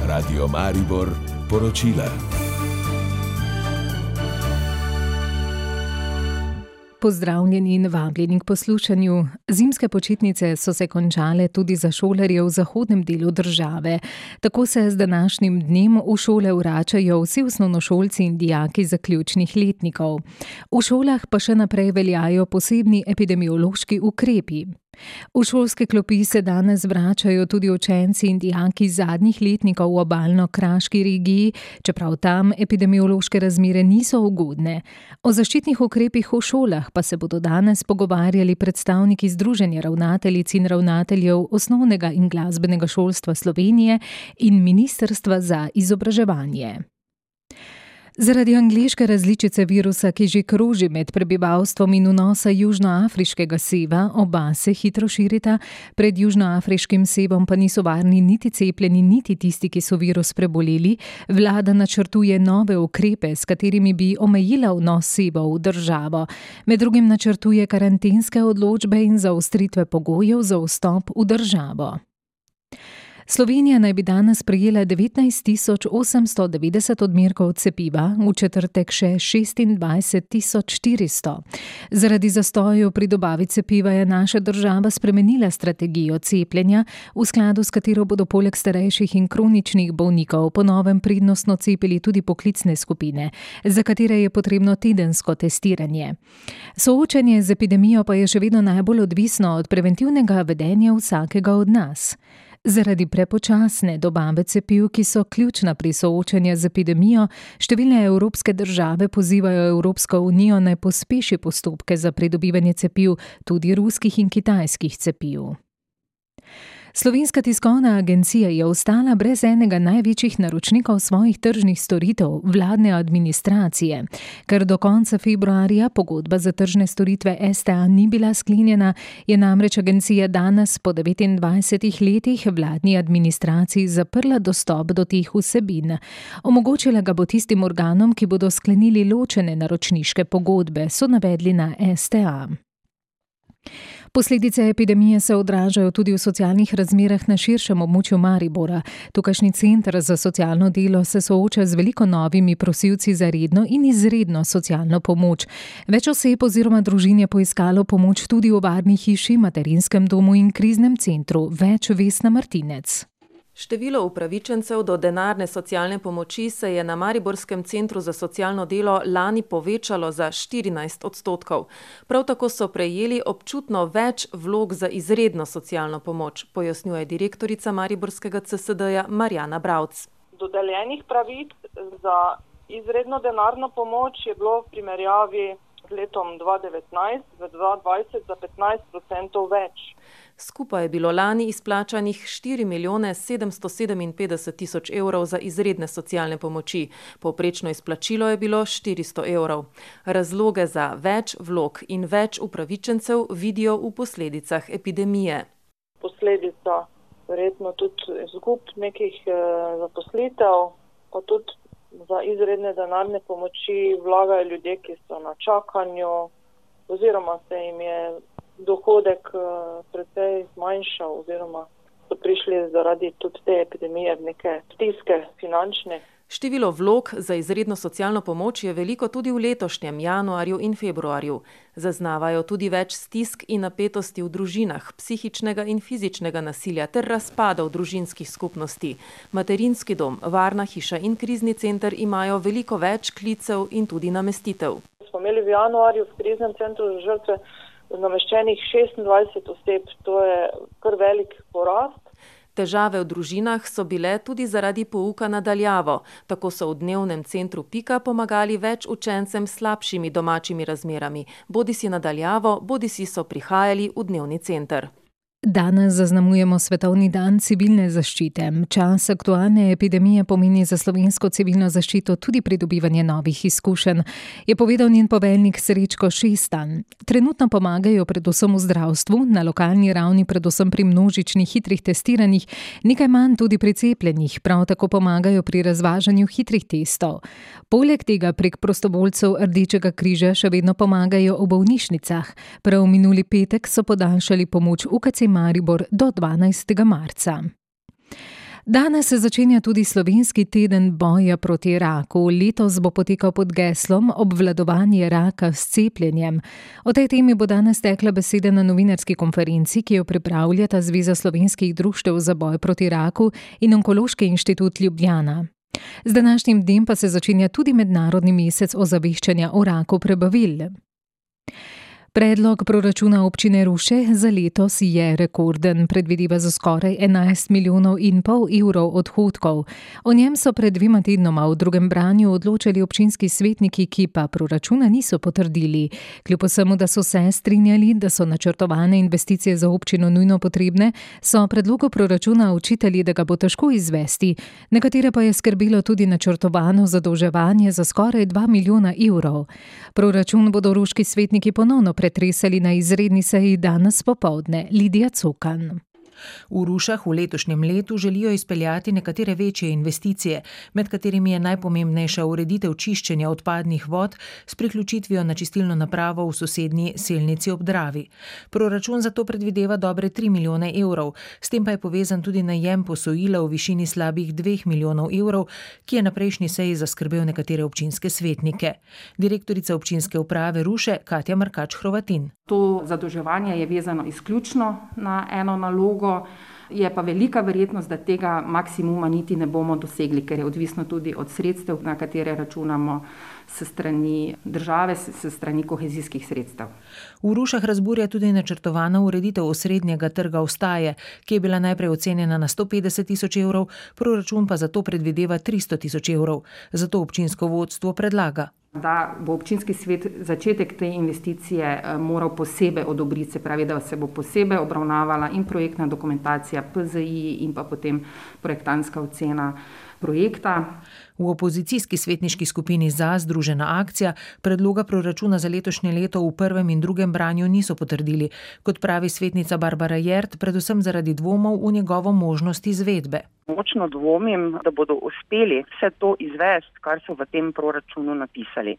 Radio Maribor poročila. Pozdravljeni in vabljeni k poslušanju. Zimske počitnice so se končale tudi za šolarje v zahodnem delu države. Tako se z današnjim dnem v šole vračajo vsi osnovnošolci in dijaki zaključnih letnikov. V šolah pa še naprej veljajo posebni epidemiološki ukrepi. V šolske klopi se danes vračajo tudi učenci in dijaki zadnjih letnikov v obalno-kraški regiji, čeprav tam epidemiološke razmere niso ugodne. O zaščitnih ukrepih v šolah pa se bodo danes pogovarjali predstavniki Združenja ravnateljic in ravnateljev osnovnega in glasbenega šolstva Slovenije in Ministrstva za izobraževanje. Zaradi angleške različice virusa, ki že kroži med prebivalstvom in vnosa južnoafriškega seva, oba se hitro širita, pred južnoafriškim sevom pa niso varni niti cepljeni, niti tisti, ki so virus preboleli, vlada načrtuje nove ukrepe, s katerimi bi omejila vnos sevov v državo. Med drugim načrtuje karantenske odločbe in zaostritve pogojev za vstop v državo. Slovenija naj bi danes prejela 19.890 odmerkov cepiva, v četrtek še 26.400. Zaradi zastojev pri dobavi cepiva je naša država spremenila strategijo cepljenja, v skladu s katero bodo poleg starejših in kroničnih bolnikov po novem prednostno cepili tudi poklicne skupine, za katere je potrebno tedensko testiranje. Soočenje z epidemijo pa je še vedno najbolj odvisno od preventivnega vedenja vsakega od nas. Zaradi prepočasne dobave cepiv, ki so ključna pri soočanju z epidemijo, številne evropske države pozivajo Evropsko unijo naj pospeši postopke za pridobivanje cepiv, tudi ruskih in kitajskih cepiv. Slovenska tiskovna agencija je ostala brez enega največjih naročnikov svojih tržnih storitev, vladne administracije. Ker do konca februarja pogodba za tržne storitve STA ni bila sklenjena, je namreč agencija danes po 29 letih vladni administraciji zaprla dostop do teh vsebin. Omogočila ga bo tistim organom, ki bodo sklenili ločene naročniške pogodbe, so navedli na STA. Posledice epidemije se odražajo tudi v socialnih razmerah na širšem območju Maribora. Tukajšnji center za socialno delo se sooča z veliko novimi prosilci za redno in izredno socialno pomoč. Več oseb oziroma družin je poiskalo pomoč tudi v varni hiši, materinskem domu in kriznem centru. Več Vesna Martinec. Število upravičencev do denarne socialne pomoči se je na Mariborskem centru za socialno delo lani povečalo za 14%. Prav tako so prejeli občutno več vlog za izredno socialno pomoč, pojasnjuje direktorica Mariborskega CSD-ja Marjana Bravc. Dodeljenih pravic za izredno denarno pomoč je bilo v primerjavi z letom 2019 v 2020 za 15% več. Skupaj je bilo lani izplačanih 4.757.000 evrov za izredne socialne pomoči. Povprečno izplačilo je bilo 400 evrov. Razloge za več vlog in več upravičencev vidijo v posledicah epidemije. Posledica verjetno tudi izgub nekih zaposlitev, pa tudi za izredne denarne pomoči vlagajo ljudje, ki so na čakanju, oziroma se jim je dohodek precej zmanjšal, oziroma so prišli zaradi tudi te epidemije v neke stiske finančne. Število vlog za izredno socialno pomoč je veliko tudi v letošnjem januarju in februarju. Zaznavajo tudi več stisk in napetosti v družinah, psihičnega in fizičnega nasilja ter razpadov družinskih skupnosti. Materinski dom, varna hiša in krizni center imajo veliko več klicev in tudi namestitev. Smo imeli v januarju v kriznem centru za žrtve nameščenih 26 oseb, to je kar velik porast. Težave v družinah so bile tudi zaradi pouka na daljavo. Tako so v dnevnem centru Pika pomagali več učencem s slabšimi domačimi razmerami. Bodisi na daljavo, bodisi so prihajali v dnevni center. Danes zaznamujemo Svetovni dan civilne zaščite. Čas aktualne epidemije pomeni za slovensko civilno zaščito tudi pridobivanje novih izkušenj, je povedal njen poveljnik Srečko Šestan. Trenutno pomagajo predvsem v zdravstvu, na lokalni ravni predvsem pri množičnih hitrih testiranjih, nekaj manj tudi pri cepljenjih, prav tako pomagajo pri razvažanju hitrih testov. Poleg tega prek prostovoljcev Rdečega križa še vedno pomagajo v bolnišnicah. Prav minuli petek so podaljšali pomoč UKC Maribor do 12. marca. Danes se začenja tudi slovenski teden boja proti raku. Letos bo potekal pod geslom Obvladovanje raka s cepljenjem. O tej temi bo danes tekla beseda na novinarski konferenci, ki jo pripravljata Zveza slovenskih društev za boj proti raku in Onkološki inštitut Ljubljana. Z današnjim dnem pa se začenja tudi mednarodni mesec ozaveščanja o raku prebavil. Predlog proračuna občine Ruše za letos je rekorden, predvideva za skoraj 11,5 milijona evrov odhodkov. O njem so pred 2 tednoma v drugem branju odločali občinski svetniki, ki pa proračuna niso potrdili. Kljub vsemu, da so se strinjali, da so načrtovane investicije za občino nujno potrebne, so predlogu proračuna očitali, da ga bo težko izvesti. Nekatere pa je skrbelo tudi načrtovano zadolževanje za skoraj 2 milijona evrov. Proračun bodo ruški svetniki ponovno pretresali na izredni seji danes popoldne. Lidija Cokan. V Rušah v letošnjem letu želijo izpeljati nekatere večje investicije, med katerimi je najpomembnejša ureditev čiščenja odpadnih vod s priključitvijo na čistilno napravo v sosednji Selnici ob Dravi. Proračun za to predvideva dobre 3 milijone evrov, s tem pa je povezan tudi najem posojila v višini slabih 2 milijonov evrov, ki je na prejšnji seji zaskrbel nekatere občinske svetnike. Direktorica občinske uprave Ruše Katja Markač-Hrovatin. To zadolževanje je vezano izključno na eno nalogo, je pa velika verjetnost, da tega maksimuma niti ne bomo dosegli, ker je odvisno tudi od sredstev, na katere računamo s strani države, s strani kohezijskih sredstev. V Rušah razburja tudi načrtovana ureditev osrednjega trga Ostaje, ki je bila najprej ocenjena na 150 tisoč evrov, proračun pa za to predvideva 300 tisoč evrov. Zato občinsko vodstvo predlaga, da bo občinski svet začetek te investicije moral posebej odobriti, se pravi, da se bo posebej obravnavala in projektna dokumentacija PZI in pa potem projektantska ocena projekta. V opozicijski svetniški skupini ZA Združena akcija predloga proračuna za letošnje leto v prvem in drugem branju niso potrdili, kot pravi svetnica Barbara Jert, predvsem zaradi dvomov v njegovo možnost izvedbe. Močno dvomim, da bodo uspeli vse to izvesti, kar so v tem proračunu napisali.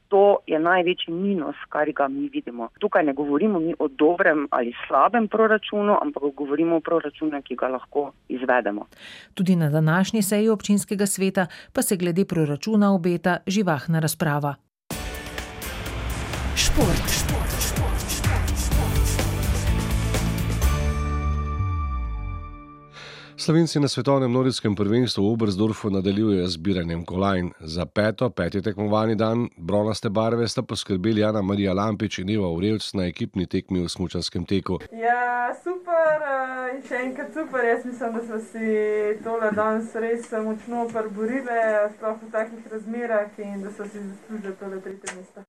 To je največji minus, kar ga mi vidimo. Tukaj ne govorimo mi o dobrem ali slabem proračunu, ampak govorimo o proračunu, ki ga lahko izvedemo. Tudi na današnji seji občinskega sveta pa se glede proračuna obeta živahna razprava. Šport. Slovenci na svetovnem nordijskem prvenstvu v Oberstdorfu nadaljujejo z zbiranjem kolajn. Za peti tekmovalni dan bronaste barve sta poskrbeli Ana-Marija Lampič in Eva Urevc na ekipni tekmi v smučarskem teku. Ja, super in še enkrat super. Jaz mislim, da smo si tole danes res močno priborile, sploh v takih razmerah in da so si zaslužili tole 3. mesto.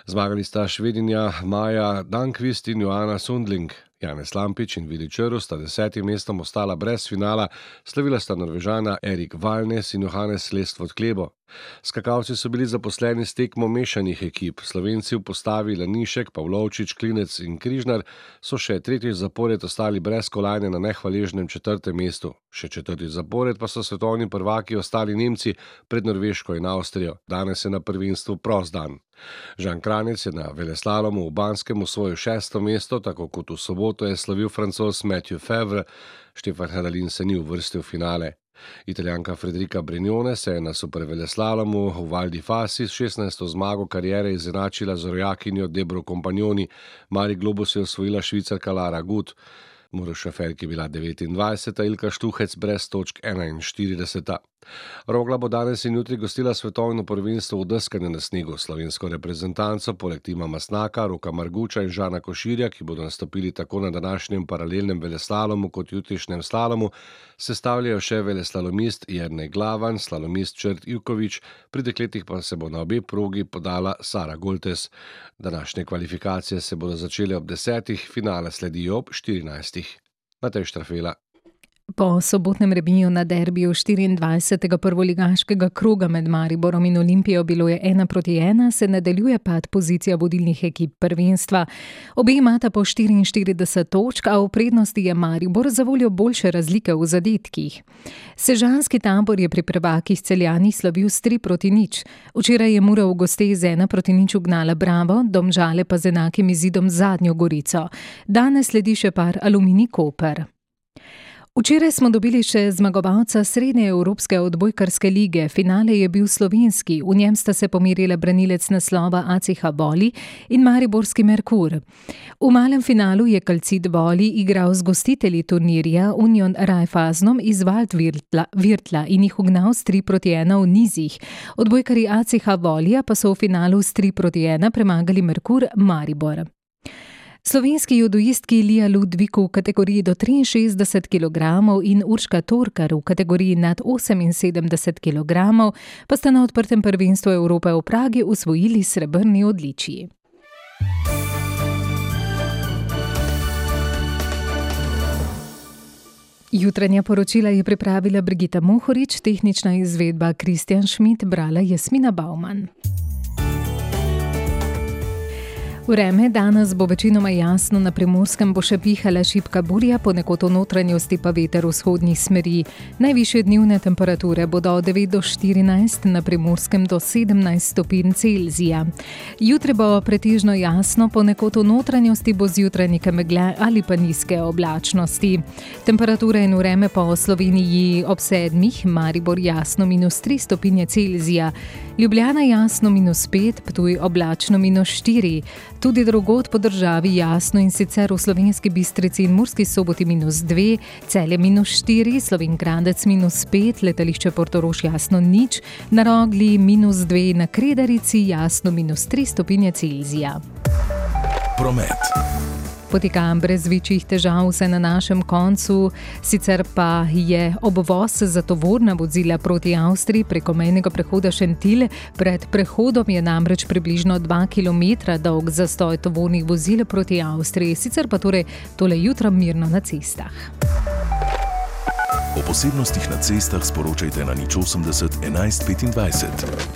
Zmagali sta Švedinja Maja Dankvist in Joana Sundling. Janez Lampič in Vili Črv sta 10. mestom ostala brez finala, slavila sta Norvežana Erik Valnes in Johannes Lestvod Klebo. Skakalci so bili zaposleni s tekmo mešanih ekip. Slovenci v postavi Lanišek, Pavlovčič, Klinec in Križnar so še 3. zapored ostali brez kolajne na nehvaležnem 4. mestu. Še 4. zapored pa so svetovni prvaki ostali Nemci pred Norveško in Avstrijo. Danes je na prvenstvu prost dan. Žan Kranec je na veleslalomu v Banskem osvojil 6. mesto, tako kot v soboto je slavil Francoz Mathieu Fevre. Štefan Hadalin se ni uvrstil v finale. Italijanka Federica Brignone se je na superveleslalomu v Val di Fasi s 16. zmago kariere izenačila z rojakinjo Debro Compagnoni. Mali globus je osvojila Švicarka Lara Gut. Maruša Ferk je bila 29. Ilka Štuhec brez točk 41. Rogla bo danes in jutri gostila svetovno prvenstvo v deskanju na snegu. Slovensko reprezentanco poleg Tima Masnaka, Roka Marguča in Žana Koširja, ki bodo nastopili tako na današnjem paralelnem veleslalomu kot jutrišnjem slalomu, sestavljajo še veleslalomist Jernej Glavan, slalomist Črt Ivković, pri dekletih pa se bo na obe progi podala Sara Goltes. Današnje kvalifikacije se bodo začele ob 10. Finale sledijo ob 14. Matej Štrafela. Po sobotnem remiju na derbiju 24. prvoligaškega kroga med Mariborom in Olimpijo, bilo je 1-1, se nadaljuje pad pozicija vodilnih ekip prvenstva. Obe imata po 44 točk, a v prednosti je Maribor zavoljo boljše razlike v zadetkih. Sežanski tabor je pri prvakih Celjani slavil s 3-0. Včeraj je Mura v gosteh z 1-0 ugnala Bravo, Domžale pa z enakim izidom zadnjo Gorico. Danes sledi še par Aluminij Koper. Včeraj smo dobili še zmagovalca Srednje evropske odbojkarske lige. Finale je bil slovenski, v njem sta se pomerila branilec naslova ACH Voli in mariborski Merkur. V malem finalu je Calcit Voli igral z gostitelji turnirja Union Raiffeisenom iz Waldvirtla in jih ugnal s 3-1 v nizih. Odbojkarji ACH Volija pa so v finalu s 3-1 premagali Merkur Maribor. Slovenski judoistki Lija Ludvik v kategoriji do 63 kg in Urška Torkar v kategoriji nad 78 kg pa sta na odprtem prvenstvu Evrope v Pragi osvojili srebrni odličji. Jutranja poročila je pripravila Brigita Mohorič, tehnična izvedba Kristjan Šmit, brala Jasmina Bauman. Vreme danes bo večinoma jasno, na Primorskem bo še pihala šibka burja, ponekod v notranjosti pa veter vzhodnih smeri. Najvišje dnevne temperature bodo od 9 do 14, na Primorskem do 17 stopinj Celzija. Jutri bo pretežno jasno, ponekod v notranjosti bo zjutraj nekaj megle ali pa nizke oblačnosti. Temperature in vreme po Sloveniji ob 7, Maribor jasno -3 stopinje Celzija, Ljubljana jasno -5, Ptuj oblačno -4. Tudi drugod po državi jasno, in sicer v Slovenski Bistrici in Murski Soboti -2, Celje -4, Slovenj Gradec -5, letališče Portorož jasno 0, na Rogli -2, na Kredarici jasno -3 stopinje Celzija. Promet. Poteka brez večjih težav vse na našem koncu, sicer pa je obvoz za tovorna vozila proti Avstriji preko mejnega prehoda Šentilj. Pred prehodom je namreč približno 2 km dolg zastoj tovornih vozil proti Avstriji, sicer pa torej tole jutro mirno na cestah. O posebnostih na cestah sporočajte na 080 11 25.